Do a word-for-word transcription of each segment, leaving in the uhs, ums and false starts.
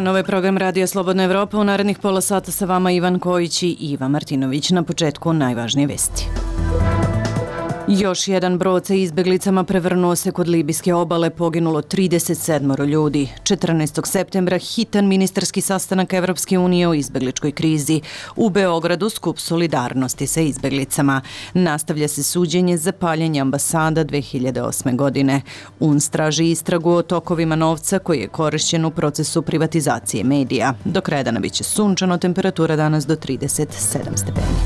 dan, ovo je program Radija Slobodna Evropa. U narednih pola sata sa vama Ivan Kojić i Iva Martinović. Na početku najvažnije vesti. Još jedan brod sa izbeglicama prevrnuo se kod libijske obale, poginulo trideset sedam ljudi. četrnaestog septembra hitan ministarski sastanak Evropske unije o izbegličkoj krizi. U Beogradu skup solidarnosti sa izbeglicama. Nastavlja se suđenje za paljenje ambasada dve hiljade osme. godine. U N S traži istragu o tokovima novca koji je korišćen u procesu privatizacije medija. Do kraja dana biće sunčano, temperatura danas do trideset sedam stepeni.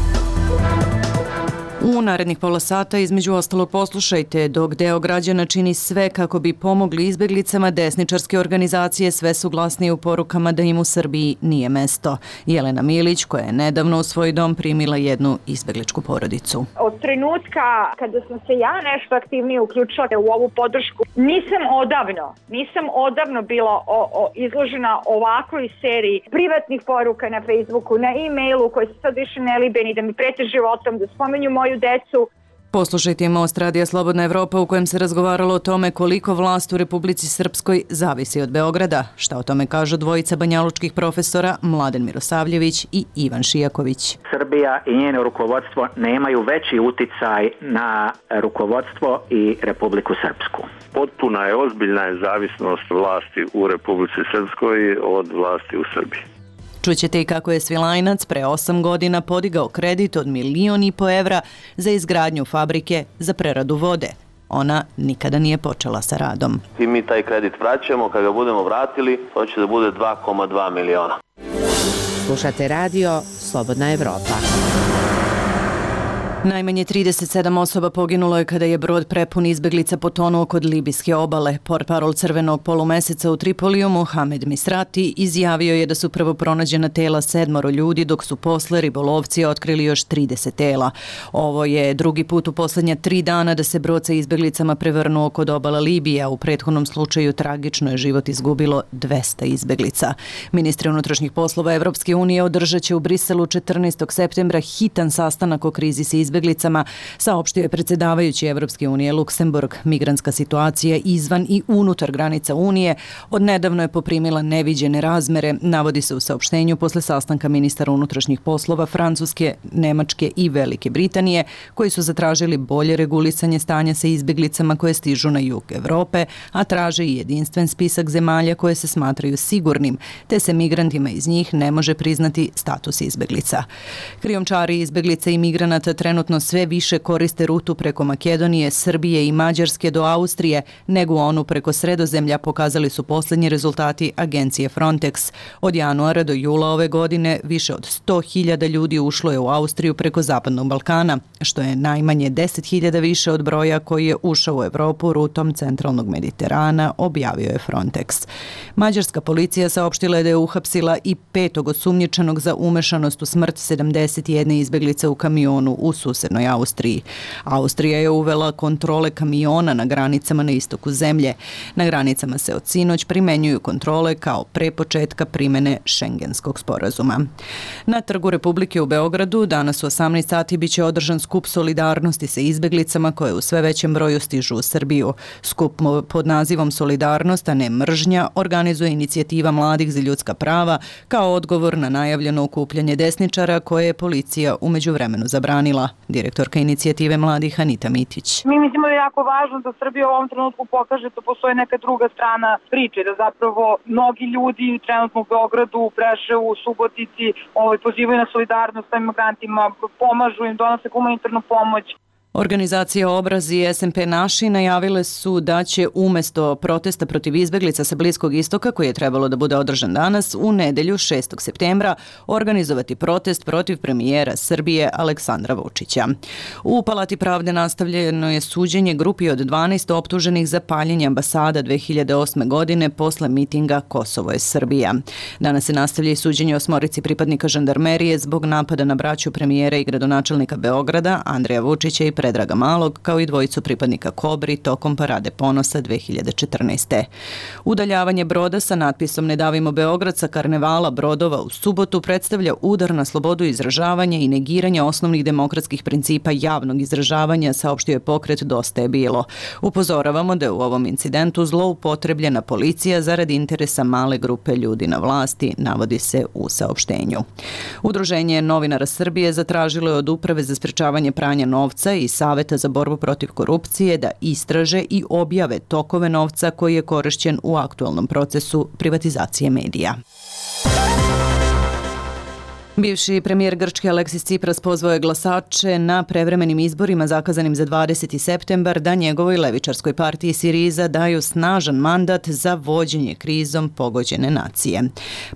U narednih pola sata između ostalog poslušajte, dok deo građana čini sve kako bi pomogli izbeglicama, desničarske organizacije sve su glasnije u porukama da im u Srbiji nije mesto. Jelena Milić, koja je nedavno u svoj dom primila jednu izbegličku porodicu. Od trenutka kada sam se ja nešto aktivnije uključila u ovu podršku, nisam odavno, nisam odavno bila o, o, izložena ovakvoj seriji privatnih poruka na Facebooku, na e-mailu koji se sad više ne libe ni da mi prete životom, da spomenju moju decu. Poslušajte Most Radija Slobodna Evropa u kojem se razgovaralo o tome koliko vlast u Republici Srpskoj zavisi od Beograda. Šta o tome kažu dvojica banjalučkih profesora Mladen Mirosavljević i Ivan Šijaković. Srbija i njeno rukovodstvo nemaju veći uticaj na rukovodstvo i Republiku Srpsku. Potpuna je, ozbiljna je zavisnost vlasti u Republici Srpskoj od vlasti u Srbiji. Čućete i kako je Svilajnac pre osam godina podigao kredit od milion i po evra za izgradnju fabrike za preradu vode. Ona nikada nije počela sa radom. I mi taj kredit vraćamo, kada ga budemo vratili, to će da bude dva zarez dva miliona. Slušate radio Slobodna Evropa. Najmanje trideset sedam osoba poginulo je kada je brod prepun izbeglica potonuo kod libijske obale. Portparol Crvenog polumeseca u Tripoliju Mohamed Misrati izjavio je da su prvo pronađena tela sedmoro ljudi, dok su posle ribolovci otkrili još trideset tela. Ovo je drugi put u poslednja tri dana da se brod sa izbeglicama prevrnuo kod obala Libije, a u prethodnom slučaju tragično je život izgubilo dvesta izbeglica. Ministri unutrašnjih poslova Evropske unije održat će u Briselu četrnaestog septembra hitan sastanak o krizi sa izbeglicama, izbeglicama, saopštio je predsjedavajući Evropske unije Luksemburg. Migrantska situacija izvan i unutar granica Unije odnedavno je poprimila neviđene razmere, navodi se u saopštenju posle sastanka ministara unutrašnjih poslova Francuske, Nemačke i Velike Britanije, koji su zatražili bolje regulisanje stanja sa izbeglicama koje stižu na jug Evrope, a traže i jedinstven spisak zemalja koje se smatraju sigurnim, te se migrantima iz njih ne može priznati status izbeglica. Krijumčari izbeglica i migranata trenutno sve više koriste rutu preko Makedonije, Srbije i Mađarske do Austrije nego onu preko Sredozemlja, pokazali su posljednji rezultati agencije Frontex. Od januara do jula ove godine više od sto hiljada ljudi ušlo je u Austriju preko Zapadnog Balkana, što je najmanje deset hiljada više od broja koji je ušao u Evropu rutom centralnog Mediterana, objavio je Frontex. Mađarska policija saopštila je da je uhapsila i petog osumnjičenog za umešanost u smrt sedamdeset jedne izbeglice u kamionu u susednoj Austriji. Austrija je uvela kontrole kamiona na granicama na istoku zemlje. Na granicama se od sinoć primenjuju kontrole kao pre početka primene Šengenskog sporazuma. Na Trgu Republike u Beogradu danas u osamnaest sati biće održan skup solidarnosti sa izbeglicama koje u sve većem broju stižu u Srbiju. Skup pod nazivom Solidarnost, a ne mržnja, organizuje inicijativa Mladih za ljudska prava kao odgovor na najavljeno okupljanje desničara koje je policija u međuvremenu zabranila. Direktorka inicijative Mladih Anita Mitić. Mi mislimo da je jako važno da Srbija u ovom trenutku pokaže da postoji neka druga strana priče, da zapravo mnogi ljudi trenutno u Beogradu, u Preševu, u Subotici ovaj, pozivaju na solidarnost sa imigrantima, pomažu im, donose humanitarnu pomoć. Organizacija Obraz i S N P Naši najavile su da će umesto protesta protiv izbeglica sa Bliskog istoka, koji je trebalo da bude održan danas, u nedelju šestog septembra organizovati protest protiv premijera Srbije Aleksandra Vučića. U Palati pravde nastavljeno je suđenje grupi od dvanaest optuženih za paljenje ambasada dve hiljade osme. godine posle mitinga Kosovo je Srbija. Danas se nastavlja i suđenje osmorici pripadnika žandarmerije zbog napada na braću premijera i gradonačelnika Beograda Andreja Vučića i Predraga Malog, kao i dvojicu pripadnika Kobri tokom Parade ponosa dve hiljade četrnaeste. Udaljavanje broda sa natpisom Ne davimo Beograd sa karnevala brodova u subotu predstavlja udar na slobodu izražavanja i negiranja osnovnih demokratskih principa javnog izražavanja, saopštio je pokret Dosta je bilo. Upozoravamo da je u ovom incidentu zloupotrebljena policija zarad interesa male grupe ljudi na vlasti, navodi se u saopštenju. Udruženje novinara Srbije zatražilo je od Uprave za sprečavanje pranja novca i Saveta za borbu protiv korupcije da istraže i objave tokove novca koji je korišćen u aktualnom procesu privatizacije medija. Bivši premijer Grčke Aleksis Tsipras pozvao je glasače na prevremenim izborima zakazanim za dvadeseti septembar da njegovoj levičarskoj partiji Siriza daju snažan mandat za vođenje krizom pogođene nacije.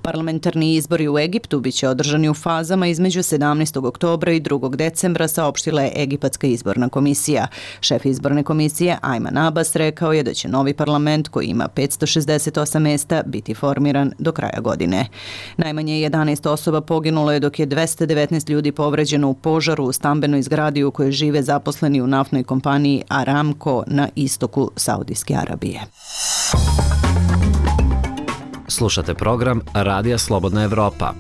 Parlamentarni izbori u Egiptu biće održani u fazama između sedamnaestog oktobra i drugog decembra, saopštila je Egipatska izborna komisija. Šef izborne komisije Ajman Abbas rekao je da će novi parlament, koji ima petsto šezdeset osam mesta, biti formiran do kraja godine. Najmanje jedanaest osoba poginulo je dok je dvesta devetnaest ljudi povređeno u požaru u stambenoj zgradi u kojoj žive zaposleni u naftnoj kompaniji Aramco na istoku Saudijske Arabije. Slušate program Radija Slobodna Evropa.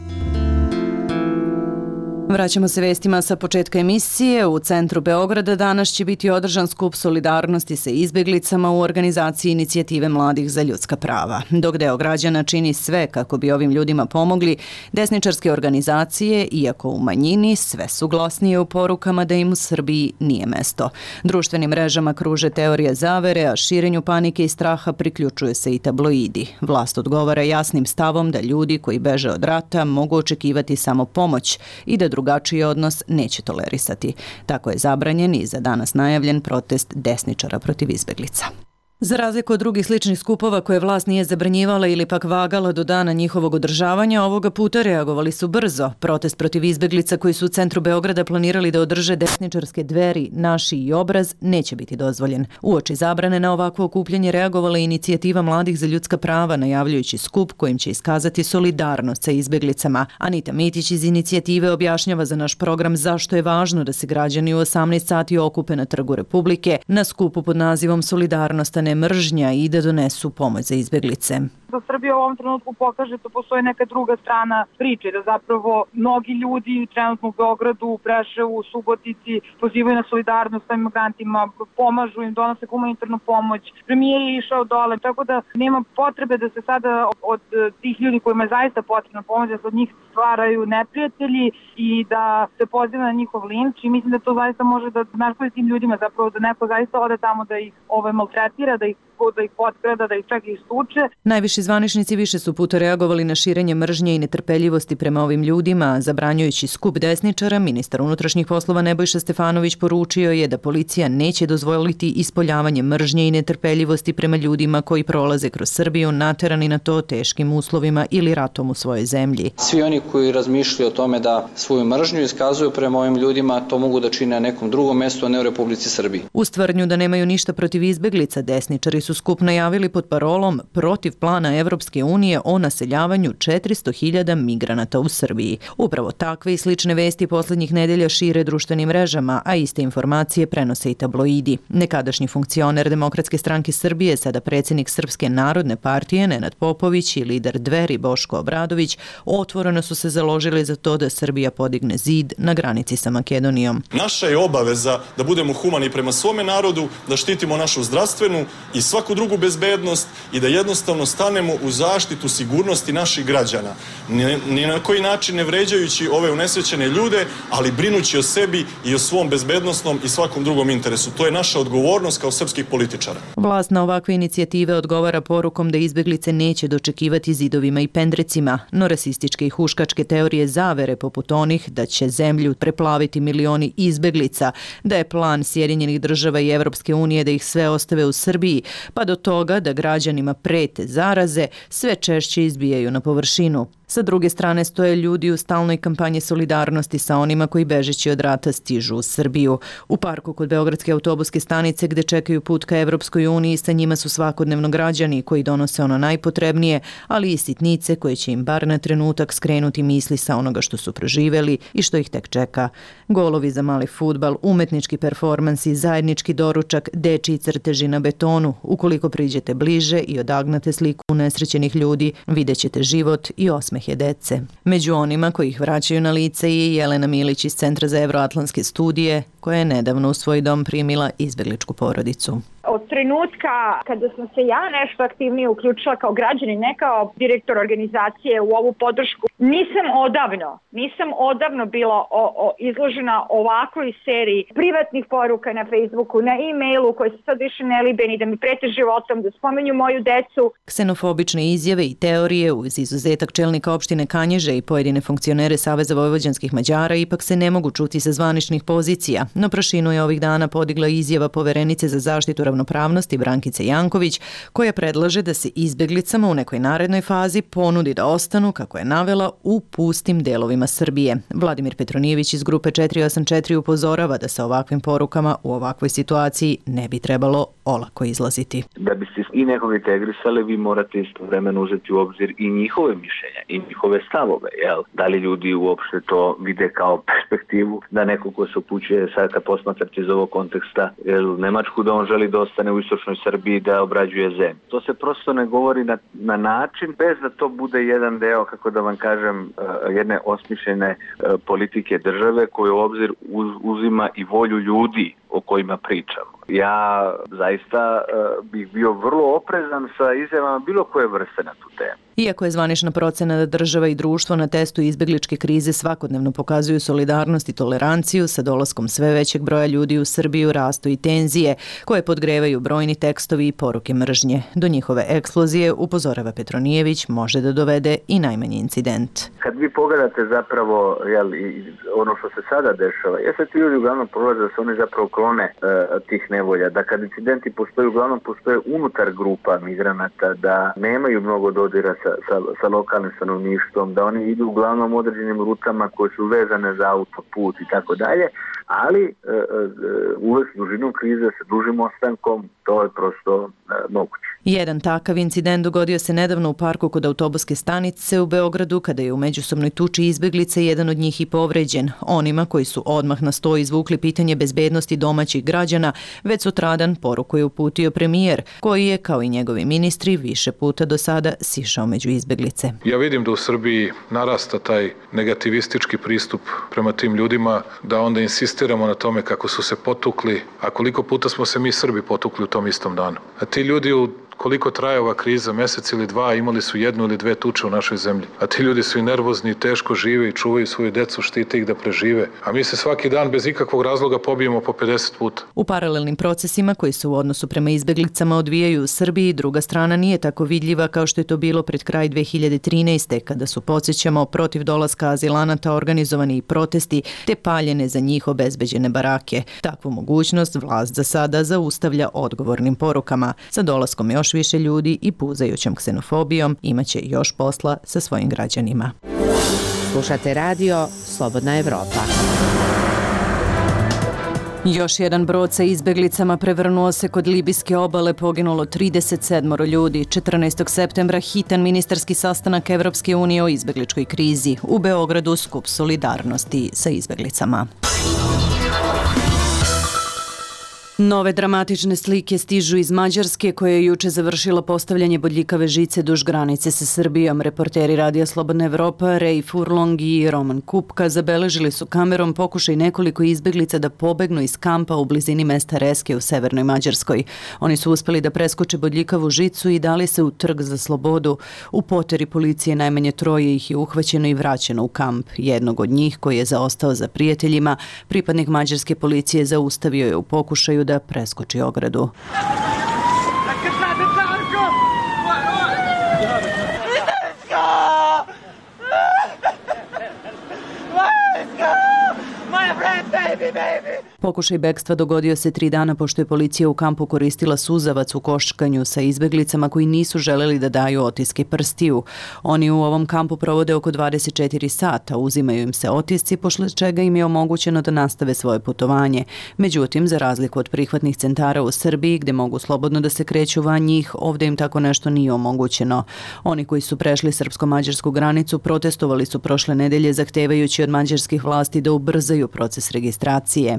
Vraćamo se vestima sa početka emisije. U centru Beograda danas će biti održan skup solidarnosti sa izbeglicama u organizaciji Inicijative mladih za ljudska prava. Dok deo građana čini sve kako bi ovim ljudima pomogli, desničarske organizacije, iako u manjini, sve su glasnije u porukama da im u Srbiji nije mesto. Društvenim mrežama kruže teorije zavere, a širenju panike i straha priključuju se i tabloidi. Vlast odgovara jasnim stavom da ljudi koji beže od rata mogu očekivati samo pomoć i da drugačiji odnos neće tolerisati. Tako je zabranjen i za danas najavljen protest desničara protiv izbeglica. Za razliku od drugih sličnih skupova koje vlast nije zabranjivala ili pak vagala do dana njihovog održavanja, ovoga puta reagovali su brzo. Protest protiv izbeglica koji su u centru Beograda planirali da održe desničarske Dveri, Naši i Obraz neće biti dozvoljen. Uoči zabrane na ovakvo okupljanje reagovala je Inicijativa mladih za ljudska prava, najavljujući skup kojim će iskazati solidarnost sa izbeglicama. Anita Mitić iz Inicijative objašnjava za naš program zašto je važno da se građani u osamnaest sati okupe na Trgu Republike na skupu pod nazivom Solidarnost, a ne mržnja, i da donesu pomoć za izbeglice. Da Srbija u ovom trenutku pokaže da postoji neka druga strana priče, da zapravo mnogi ljudi trenutno u Beogradu, u Preševu, u Subotici pozivaju na solidarnost sa imigrantima, pomažu im, donose humanitarnu pomoć. Premijer je išao dole, tako da nema potrebe da se sada od tih ljudi kojima je zaista potrebna pomoć, da se od njih stvaraju neprijatelji i da se poziva na njihov linč, i mislim da to zaista može da naškodi tim ljudima, zapravo da neko zaista ode tamo da ih ovaj maltretira, da ih da ih potkrada, da ih čak i stuče. Najviši zvaničnici više su puta reagovali na širenje mržnje i netrpeljivosti prema ovim ljudima. Zabranjujući skup desničara, ministar unutrašnjih poslova Nebojša Stefanović poručio je da policija neće dozvoliti ispoljavanje mržnje i netrpeljivosti prema ljudima koji prolaze kroz Srbiju, naterani na to teškim uslovima ili ratom u svojoj zemlji. Svi oni koji razmišljaju o tome da svoju mržnju iskazuju prema ovim ljudima, to mogu da čine na nekom drugom mestu, a ne u Republici Srbiji. U tvrdnju da nemaju ništa protiv izbeglica, desničari su skup najavili pod parolom protiv plana Evropske unije o naseljavanju četiristo hiljada migranata u Srbiji. Upravo takve i slične vesti poslednjih nedelja šire društvenim mrežama, a iste informacije prenose i tabloidi. Nekadašnji funkcioner Demokratske stranke Srbije, sada predsjednik Srpske narodne partije Nenad Popović i lider Dveri Boško Obradović otvoreno su se založili za to da Srbija podigne zid na granici sa Makedonijom. Naša je obaveza da budemo humani prema svome narodu, da štitimo našu zdravstvenu i svaku drugu bezbednost i da jednostavno stanemo u zaštitu sigurnosti naših građana. Ni na koji način ne vređajući ove unesrećene ljude, ali brinući o sebi i o svom bezbednosnom i svakom drugom interesu. To je naša odgovornost kao srpskih političara. Vlast na ovakve inicijative odgovara porukom da izbeglice neće dočekivati zidovima i pendrecima, no rasističke i huškačke teorije zavere poput onih da će zemlju preplaviti milioni izbeglica, da je plan Sjedinjenih država i Evropske unije da ih sve ostave u Srbiji, pa do toga da građanima prete zaraze, sve češće izbijaju na površinu. Sa druge strane stoje ljudi u stalnoj kampanji solidarnosti sa onima koji bežeći od rata stižu u Srbiju. U parku kod Beogradske autobuske stanice gde čekaju put ka Evropskoj uniji, sa njima su svakodnevno građani koji donose ono najpotrebnije, ali i sitnice koje će im bar na trenutak skrenuti misli sa onoga što su proživeli i što ih tek čeka. Golovi za mali fudbal, umetnički performansi, zajednički doručak, dečiji crteži na betonu. Ukoliko priđete bliže i odagnate sliku unesrećenih ljudi, vidjet ćete život i osmehe dece. Među onima koji ih vraćaju na lice je Jelena Milić iz Centra za evroatlantske studije, koja je nedavno u svoj dom primila izbegličku porodicu. Od trenutka kada sam se ja nešto aktivnije uključila kao građanin, ne kao direktor organizacije u ovu podršku, nisam odavno, nisam odavno bila o, o, izložena ovakvoj seriji privatnih poruka na Facebooku, na e-mailu koje se sad više ne libe ni da mi prete životom, da spomenju moju decu. Ksenofobične izjave i teorije uz izuzetak čelnika opštine Kanjiže i pojedine funkcionere Saveza vojvođanskih Mađara ipak se ne mogu čuti sa zvaničnih pozicija, no prašinu je ovih dana podigla izjava poverenice za zaštitu ravnopravnosti Brankice Janković, koja predlaže da se izbeglicama u nekoj narednoj fazi ponudi da ostanu, kako je navela, u pustim delovima Srbije. Vladimir Petronijević iz grupe četiri osam četiri upozorava da sa ovakvim porukama u ovakvoj situaciji ne bi trebalo olako izlaziti. Da biste i nekog integrisali, vi morate istovremeno uzeti u obzir i njihove mišljenja i njihove stavove. Jel? Da li ljudi uopšte to vide kao perspektivu, da neko ko se upućuje sad kad posmatrate iz ovog konteksta jel, Nemačku, da on želi da ostane u istočnoj Srbiji, da obrađuje zemlju. To se prosto ne govori na, na način bez da to bude jedan deo, kako da vam kažem, jedne osmišljene politike države koju u obzir uz, uzima i volju ljudi o kojima pričamo. Ja zaista uh, bih bio vrlo oprezan sa izjavama bilo koje vrste na tu temu. Iako je zvanična procena da država i društvo na testu izbegličke krize svakodnevno pokazuju solidarnost i toleranciju, sa dolaskom sve većeg broja ljudi u Srbiju rastu i tenzije, koje podgrevaju brojni tekstovi i poruke mržnje. Do njihove eksplozije, upozorava Petronijević, može da dovede i najmanji incident. Kad vi pogledate zapravo jel, ono što se sada dešava, jeste ti ljudi uglavnom prolaze da se oni zapravo klone uh, tih nevolja, da kad incidenti postoje, uglavnom postoje unutar grupa migranata, da nemaju mnogo dodira sa, sa, sa lokalnim stanovništvom, da oni idu uglavnom određenim rutama koje su vezane za autoput i tako dalje, ali uh, uh, uvek s dužinom krize, sa dužim ostankom, to je prosto uh, moguće. Jedan takav incident dogodio se nedavno u parku kod autobuske stanice u Beogradu, kada je u međusobnoj tuči izbeglica jedan od njih i povređen. Onima koji su odmah na sto izvukli pitanje bezbednosti domaćih građana, već sutradan poruku je uputio premijer, koji je, kao i njegovi ministri, više puta do sada sišao među izbeglice. Ja vidim da u Srbiji narasta taj negativistički pristup prema tim ljudima, da onda insistiramo na tome kako su se potukli, a koliko puta smo se mi Srbi potukli u tom istom danu. A ti ljudi u koliko traje ova kriza, mesec ili dva, imali su jednu ili dve tuče u našoj zemlji. A ti ljudi su i nervozni, i teško žive i čuvaju svoju decu, štite ih da prežive. A mi se svaki dan bez ikakvog razloga pobijemo po pedeset puta. U paralelnim procesima koji se u odnosu prema izbeglicama odvijaju u Srbiji, druga strana nije tako vidljiva kao što je to bilo pred kraj dve hiljade trinaeste. kada su, podsjećamo, protiv dolaska azilanata organizovani i protesti te paljene za njih obezbeđene barake. Takvu mogućnost vlast za sada zaustavlja odgovornim porukama. Sa dolaskom još više ljudi i puzajućom ksenofobijom imaće još posla sa svojim građanima. Slušate radio Slobodna Evropa. Još jedan brod sa izbeglicama prevrnuo se kod libijske obale, poginulo trideset sedam ljudi. četrnaestog septembra hitan ministarski sastanak Evropske unije o izbegličkoj krizi. U Beogradu skup solidarnosti sa izbeglicama. Nove dramatične slike stižu iz Mađarske, koja je juče završila postavljanje bodljikave žice duž granice sa Srbijom. Reporteri Radija Slobodna Evropa, Rej Furlong i Roman Kupka, zabeležili su kamerom pokušaj nekoliko izbeglica da pobegnu iz kampa u blizini mesta Reske u severnoj Mađarskoj. Oni su uspeli da preskoče bodljikavu žicu i dali se u trg za slobodu. U poteri policije najmanje troje ih je uhvaćeno i vraćeno u kamp. Jednog od njih, koji je zaostao za prijateljima, pripadnik mađarske policije zaustavio je u pokušaju da preskoči ogradu. Pokušaj bekstva dogodio se tri dana pošto je policija u kampu koristila suzavac u koškanju sa izbeglicama koji nisu želeli da daju otiske prstiju. Oni u ovom kampu provode oko dvadeset četiri sata, uzimaju im se otisci, posle čega im je omogućeno da nastave svoje putovanje. Međutim, za razliku od prihvatnih centara u Srbiji, gde mogu slobodno da se kreću van njih, ovde im tako nešto nije omogućeno. Oni koji su prešli srpsko-mađarsku granicu protestovali su prošle nedelje zahtevajući od mađarskih vlasti da ubrzaju proces registracije.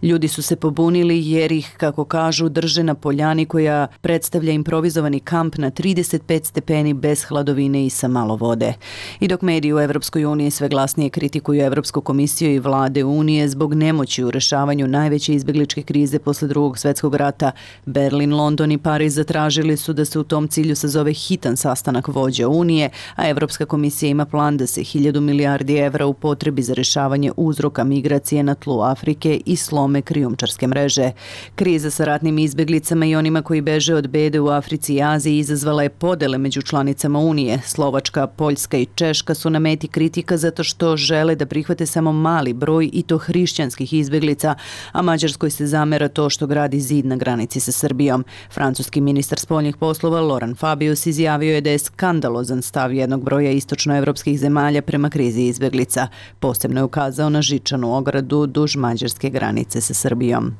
Ljudi su se pobunili jer ih, kako kažu, drže na poljani koja predstavlja improvizovani kamp na trideset pet stepeni bez hladovine i sa malo vode. I dok mediji u Evropskoj uniji sve glasnije kritikuju Evropsku komisiju i vlade Unije zbog nemoći u rešavanju najveće izbegličke krize posle drugog svetskog rata, Berlin, London i Pariz zatražili su da se u tom cilju sazove hitan sastanak vođa Unije, a Evropska komisija ima plan da se hiljadu milijardi evra upotrebi za rešavanje uzroka migracije na tlu Afrike i slom krijumčarske mreže. Kriza sa ratnim izbeglicama i onima koji beže od bede u Africi i Aziji izazvala je podele među članicama Unije. Slovačka, Poljska i Češka su na meti kritika zato što žele da prihvate samo mali broj i to hrišćanskih izbeglica, a Mađarskoj se zamera to što gradi zid na granici sa Srbijom. Francuski ministar spoljnih poslova Laurent Fabius izjavio je da je skandalozan stav jednog broja istočnoevropskih zemalja prema krizi izbeglica. Posebno je ukazao na žičanu ogradu duž mađarske granice sa Srbijom.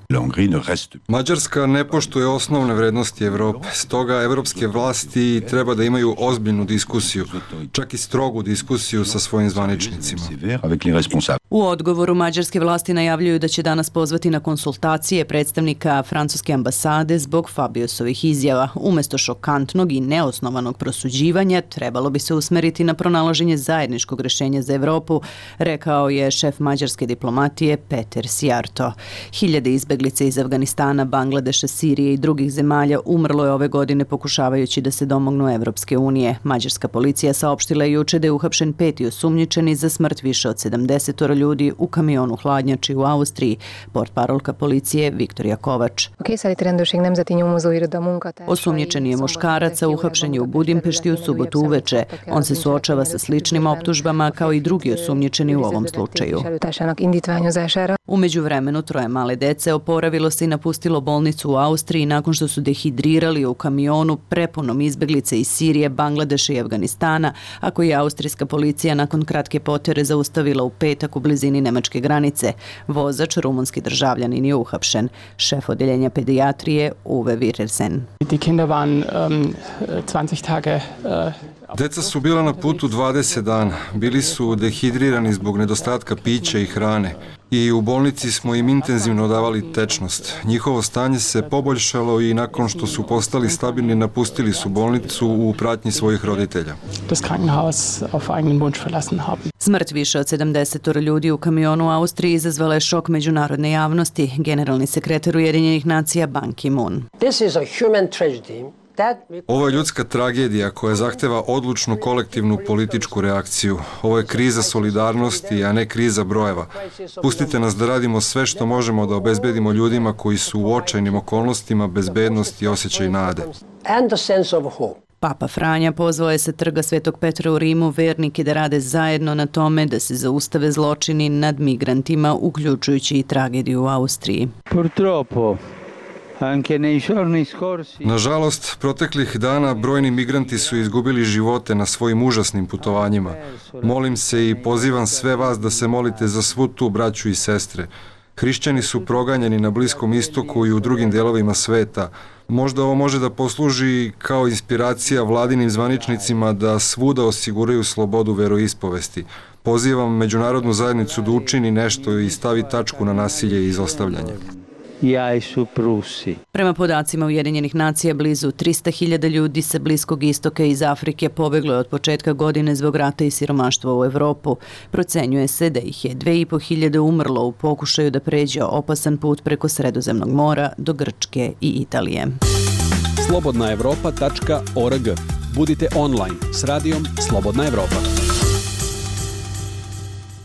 Mađarska ne poštuje osnovne vrednosti Evrope, stoga evropske vlasti treba da imaju ozbiljnu diskusiju, čak i strogu diskusiju sa svojim zvaničnicima. U odgovoru mađarske vlasti najavljuju da će danas pozvati na konsultacije predstavnika francuske ambasade zbog Fabiusovih izjava. Umesto šokantnog i neosnovanog prosuđivanja, trebalo bi se usmeriti na pronalaženje zajedničkog rešenja za Evropu, rekao je šef mađarske diplomatije Peter Sijarto. Hiljade izbeglica iz Afganistana, Bangladeša, Sirije i drugih zemalja umrlo je ove godine pokušavajući da se domognu Evropske unije. Mađarska policija saopštila je juče da je uhapšen peti osumnjičeni za smrt više od sedamdeset ljudi u kamionu hladnjači u Austriji, portparolka policije Viktorija Kovač. Osumnjičeni je muškarac, a uhapšen je u Budimpešti u subotu uveče. On se suočava sa sličnim optužbama kao i drugi osumnjičeni u ovom slučaju. U međuvremenu troje male dece oporavilo se i napustilo bolnicu u Austriji nakon što su dehidrirali u kamionu prepunom izbeglica iz Sirije, Bangladeša i Afganistana, a koji je austrijska policija nakon kratke potere zaustavila u petak u blizini nemačke granice. Vozač, rumunski državljanin, je uhapšen. Šef odeljenja pedijatrije Uwe Wirelsen. Deca su bila na putu dvadeset dana. Bili su dehidrirani zbog nedostatka pića i hrane. I u bolnici smo im intenzivno davali tečnost. Njihovo stanje se poboljšalo i nakon što su postali stabilni napustili su bolnicu u pratnji svojih roditelja. Smrt više od sedamdeset ljudi u kamionu u Austriji izazvala je šok međunarodne javnosti. Generalni sekretar Ujedinjenih nacija Ban Ki-moon. Ovo je ljudska tragedija koja zahteva odlučnu kolektivnu političku reakciju. Ovo je kriza solidarnosti, a ne kriza brojeva. Pustite nas da radimo sve što možemo da obezbedimo ljudima koji su u očajnim okolnostima bezbednost i osjećaj nade. Papa Franja pozvao je sa trga Svetog Petra u Rimu vernike da rade zajedno na tome da se zaustave zločini nad migrantima, uključujući i tragediju u Austriji. Purtroppo. Nažalost, proteklih dana brojni migranti su izgubili živote na svojim užasnim putovanjima. Molim se i pozivam sve vas da se molite za svu tu braću i sestre. Hrišćani su proganjani na Bliskom istoku i u drugim delovima sveta. Možda ovo može da posluži kao inspiracija vladinim zvaničnicima da svuda osiguraju slobodu veroispovesti. Pozivam međunarodnu zajednicu da učini nešto i stavi tačku na nasilje i izostavljanje. Prema podacima Ujedinjenih nacija, blizu trista hiljada ljudi sa Bliskog istoka i iz Afrike pobeglo je od početka godine zbog rata i siromaštva u Evropu. Procenjuje se da ih je dve i po hiljade umrlo u pokušaju da pređe opasan put preko Sredozemnog mora do Grčke i Italije. slobodna evropa tačka org. Budite online s radijom Slobodna Evropa.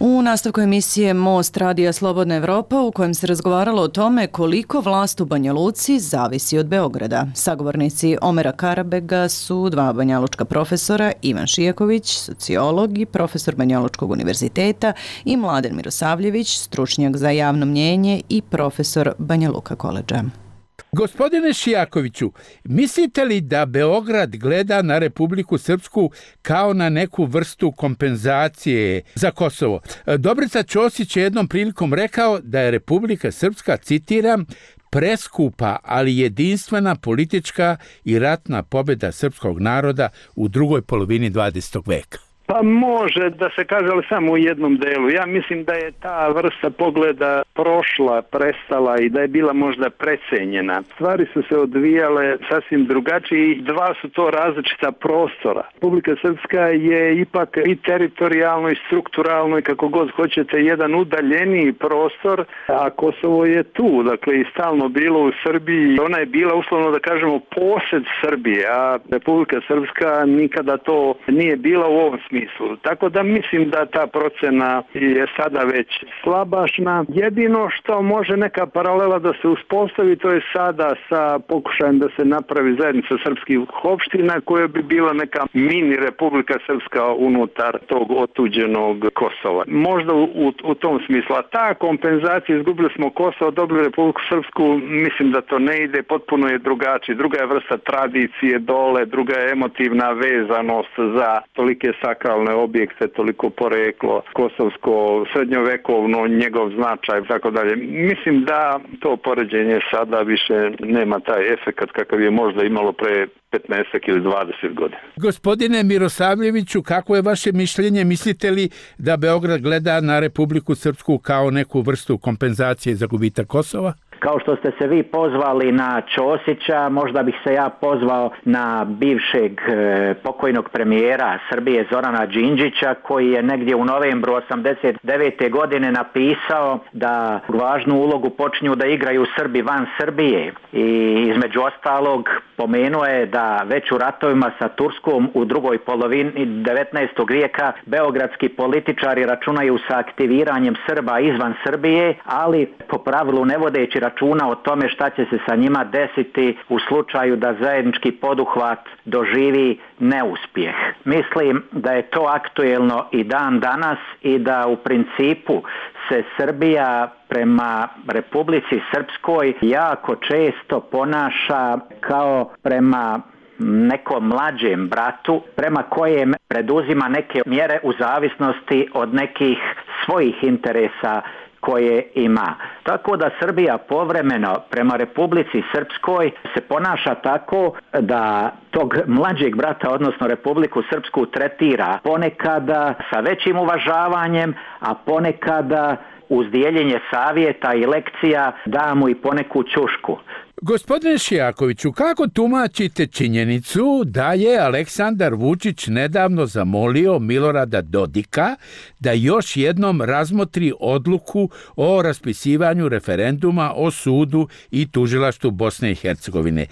U nastavku emisije Most Radija Slobodna Evropa u kojem se razgovaralo o tome koliko vlast u Banja Luci zavisi od Beograda. Sagovornici Omera Karabega su dva banjalučka profesora, Ivan Šijaković, sociolog i profesor Banjalučkog univerziteta, i Mladen Mirosavljević, stručnjak za javno mnjenje i profesor Banja Luka koledža. Gospodine Šijakoviću, mislite li da Beograd gleda na Republiku Srpsku kao na neku vrstu kompenzacije za Kosovo? Dobrica Ćosić je jednom prilikom rekao da je Republika Srpska, citiram, preskupa, ali jedinstvena politička i ratna pobjeda srpskog naroda u drugoj polovini dvadesetog veka. Pa može da se kaže, ali samo u jednom delu. Ja mislim da je ta vrsta pogleda prošla, prestala i da je bila možda precenjena. Stvari su se odvijale sasvim drugačije i dva su to različita prostora. Republika Srpska je ipak i teritorijalno i strukturalno i kako god hoćete jedan udaljeniji prostor, a Kosovo je tu, dakle i stalno bilo u Srbiji. Ona je bila uslovno da kažemo posed Srbije, a Republika Srpska nikada to nije bila u ovom smislu. Tako da mislim da ta procena je sada već slabašna. Jedino što može neka paralela da se uspostavi, to je sada sa pokušajem da se napravi zajednica srpskih opština koja bi bila neka mini Republika Srpska unutar tog otuđenog Kosova. Možda u, u tom smislu. A ta kompenzacija, izgubili smo Kosovo, dobili Republiku Srpsku, mislim da to ne ide, potpuno je drugačije. Druga je vrsta tradicije dole, druga je emotivna vezanost za tolike sakralne objekte, toliko poreklo, kosovsko, srednjovekovno, njegov značaj i tako dalje. Mislim da to poređenje sada više nema taj efekat kakav je možda imalo pre petnaest ili dvadeset godina. Gospodine Mirosavljeviću, kako je vaše mišljenje? Mislite li da Beograd gleda na Republiku Srpsku kao neku vrstu kompenzacije za gubitak Kosova? Kao što ste se vi pozvali na Ćosića, možda bih se ja pozvao na bivšeg e, pokojnog premijera Srbije Zorana Đinđića, koji je negdje u novembru osamdeset devete godine napisao da važnu ulogu počinju da igraju Srbi van Srbije. I između ostalog pomenuo je da već u ratovima sa Turskom u drugoj polovini devetnaestog vijeka beogradski političari računaju sa aktiviranjem Srba izvan Srbije, ali po pravilu ne vodeći računa o tome šta će se sa njima desiti u slučaju da zajednički poduhvat doživi neuspjeh. Mislim da je to aktuelno i dan danas i da u principu se Srbija prema Republici Srpskoj jako često ponaša kao prema nekom mlađem bratu, prema kojem preduzima neke mjere u zavisnosti od nekih svojih interesa koje ima. Tako da Srbija povremeno prema Republici Srpskoj se ponaša tako da tog mlađeg brata, odnosno Republiku Srpsku, tretira ponekada sa većim uvažavanjem, a ponekada uz dijeljenje savjeta i lekcija da mu i poneku ćušku. Gospodine Šijakoviću, kako tumačite činjenicu da je Aleksandar Vučić nedavno zamolio Milorada Dodika da još jednom razmotri odluku o raspisivanju referenduma o sudu i tužilaštvu Bosne i Hercegovine?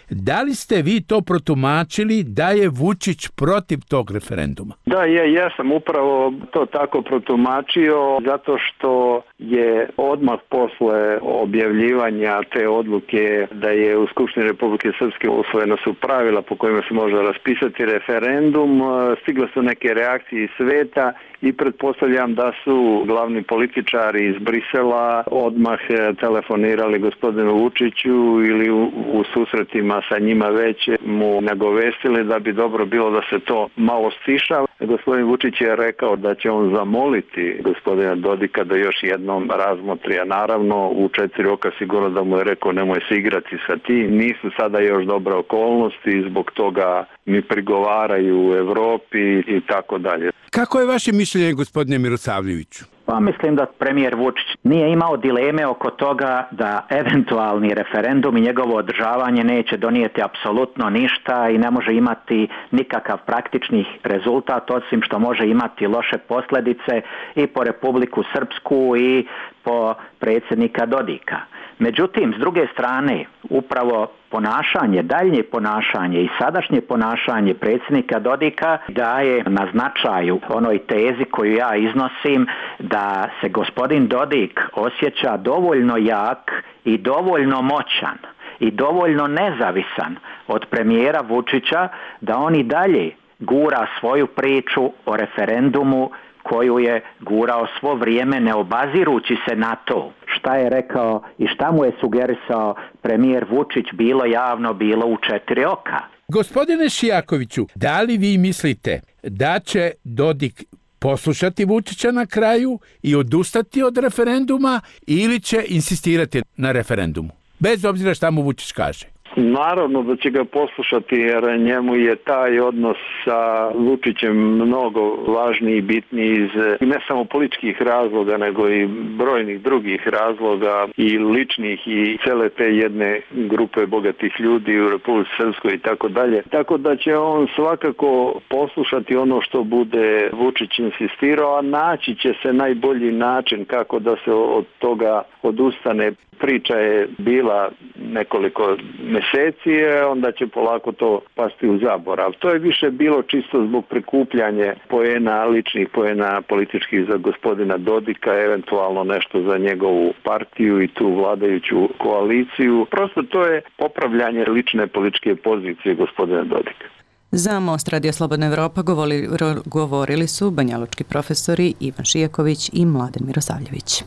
Da li ste vi to protumačili da je Vučić protiv tog referenduma? Da, ja, ja sam upravo to tako protumačio zato što je odmah posle objavljivanja te odluke da je u Skupštini Republike Srpske usvojena su pravila po kojima se može raspisati referendum, stigle su neke reakcije iz sveta i pretpostavljam da su glavni političari iz Brisela odmah telefonirali gospodinu Vučiću ili u, u susretima sa njima već mu nagovestili da bi dobro bilo da se to malo stiša. Gospodin Vučić je rekao da će on zamoliti gospodina Dodika da još jednom razmotri, a naravno u četiri oka sigurno da mu je rekao nemoj se igrati sa tim. Nisu sada još dobre okolnosti, zbog toga mi prigovaraju u Evropi i tako dalje. Kako je vaše mišljenje, gospodine Mirosavljeviću? Pa mislim da premijer Vučić nije imao dileme oko toga da eventualni referendum i njegovo održavanje neće donijeti apsolutno ništa i ne može imati nikakav praktični rezultat, osim što može imati loše posljedice i po Republiku Srpsku i po predsjednika Dodika. Međutim, s druge strane, upravo ponašanje, daljnje ponašanje i sadašnje ponašanje predsjednika Dodika daje na značaju onoj tezi koju ja iznosim, da se gospodin Dodik osjeća dovoljno jak i dovoljno moćan i dovoljno nezavisan od premijera Vučića da on i dalje gura svoju priču o referendumu koju je gurao svo vrijeme ne obazirući se na to šta je rekao i šta mu je sugerisao premijer Vučić, bilo javno, bilo u četiri oka. Gospodine Šijakoviću, da li vi mislite da će Dodik poslušati Vučića na kraju i odustati od referenduma ili će insistirati na referendumu, bez obzira šta mu Vučić kaže? Naravno da će ga poslušati, jer njemu je taj odnos sa Vučićem mnogo važniji i bitniji iz ne samo političkih razloga, nego i brojnih drugih razloga i ličnih i cele te jedne grupe bogatih ljudi u Republici Srpskoj i tako dalje. Tako da će on svakako poslušati ono što bude Vučić insistirao, a naći će se najbolji način kako da se od toga odustane. Priča je bila nekoliko mjeseci, onda će polako to pasti u zaborav. To je više bilo čisto zbog prikupljanja poena, ličnih poena političkih za gospodina Dodika, eventualno nešto za njegovu partiju i tu vladajuću koaliciju. Prosto to je popravljanje lične političke pozicije gospodina Dodika. Za Most Radio Slobodna Evropa govorili, govorili su banjalučki profesori Ivan Šijaković i Mladen Mirosavljević.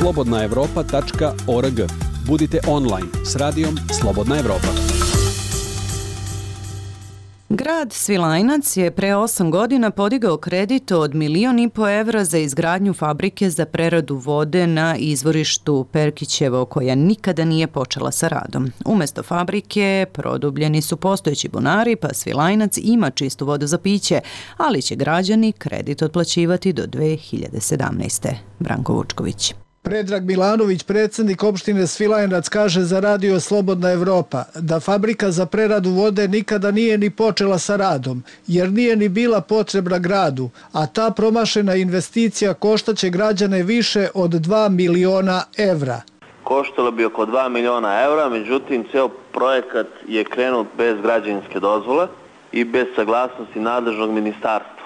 slobodna evropa tačka org. Budite online s radijom Slobodna Evropa. Grad Svilajnac je pre osam godina podigao kredit od milion i po evra za izgradnju fabrike za preradu vode na izvorištu Perkićevo, koja nikada nije počela sa radom. Umesto fabrike produbljeni su postojeći bunari, pa Svilajnac ima čistu vodu za piće, ali će građani kredit otplaćivati do dve hiljade sedamnaeste. Branko Vučković. Predrag Milanović, predsjednik opštine Svilajnac, kaže za radio Slobodna Evropa da fabrika za preradu vode nikada nije ni počela sa radom, jer nije ni bila potrebna gradu, a ta promašena investicija koštaće građane više od dva miliona evra. Koštalo bi oko dva miliona evra, međutim ceo projekat je krenut bez građevinske dozvole i bez saglasnosti nadležnog ministarstva.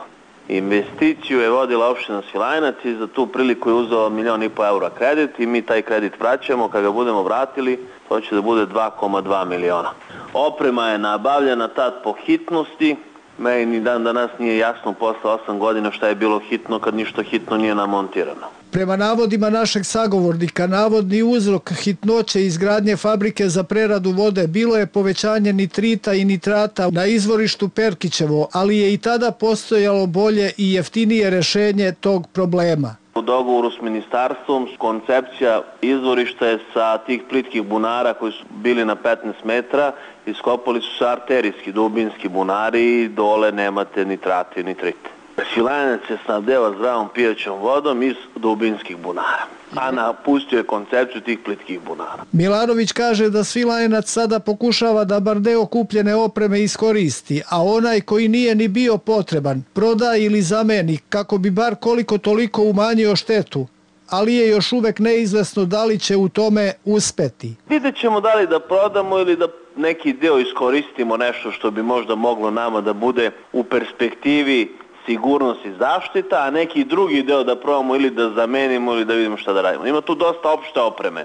Investiciju je vodila opština Svilajnac i za tu priliku je uzeo milion i po eura kredit i mi taj kredit vraćamo. Kada ga budemo vratili, to će da bude dva zarez dva miliona. Oprema je nabavljena tad po hitnosti. Meni ni dan danas nije jasno posle osam godina šta je bilo hitno kad ništa hitno nije namontirano. Prema navodima našeg sagovornika, navodni uzrok hitnoće izgradnje fabrike za preradu vode bilo je povećanje nitrita i nitrata na izvorištu Perkićevo, ali je i tada postojalo bolje i jeftinije rešenje tog problema. U dogovoru s ministarstvom koncepcija izvorišta je sa tih plitkih bunara koji su bili na petnaest metara, iskopali su se arterijski, dubinski bunari i dole nemate nitrate i nitrite. Svilajnac se snabdeva zdravom pijaćom vodom iz dubinskih bunara, a napustio je koncepciju tih plitkih bunara. Milanović kaže da Svilajnac sada pokušava da bar deo kupljene opreme iskoristi, a onaj koji nije ni bio potreban proda ili zameni kako bi bar koliko toliko umanjio štetu, ali je još uvek neizvesno da li će u tome uspeti. Vidjet ćemo da li da prodamo ili da neki deo iskoristimo, nešto što bi možda moglo nama da bude u perspektivi sigurnost i zaštita, a neki drugi deo da probamo ili da zamenimo ili da vidimo šta da radimo. Ima tu dosta opšte opreme,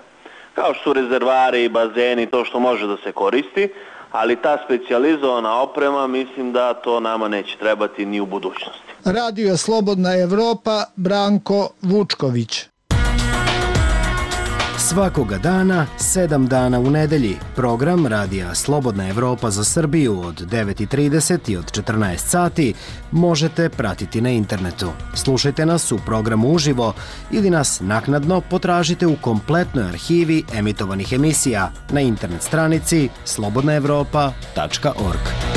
kao što su rezervari, bazeni, to što može da se koristi, ali ta specijalizovana oprema mislim da to nama neće trebati ni u budućnosti. Radio Slobodna Evropa, Branko Vučković. Svakoga dana, sedam dana u nedelji, program Radija Slobodna Evropa za Srbiju od devet i trideset i od četrnaest sati možete pratiti na internetu. Slušajte nas u programu uživo ili nas naknadno potražite u kompletnoj arhivi emitovanih emisija na internet stranici slobodna evropa tačka org.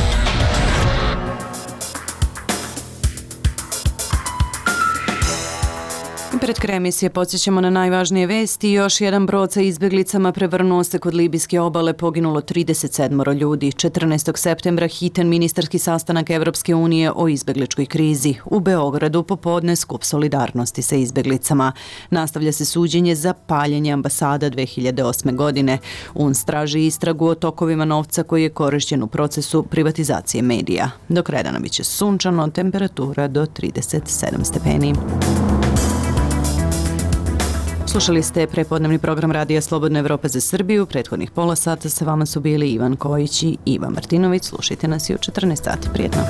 Pred kraj emisije podsjećamo na najvažnije vesti. Još jedan brod sa izbjeglicama prevrnuo se kod libijske obale, poginulo trideset sedam ljudi. četrnaestog septembra hitan ministarski sastanak Evropske unije o izbjegličkoj krizi. U Beogradu popodne skup solidarnosti sa izbjeglicama. Nastavlja se suđenje za paljenje ambasada dve hiljade osme. godine. U N S traži istragu o tokovima novca koji je korišćen u procesu privatizacije medija. Do kraja dana biće sunčano, temperatura do trideset sedam stepeni. Slušali ste prepodnevni program Radija Slobodna Evropa za Srbiju. Prethodnih pola sata sa vama su bili Ivan Kojić i Iva Martinović. Slušajte nas i u četrnaest sati. Prijetno.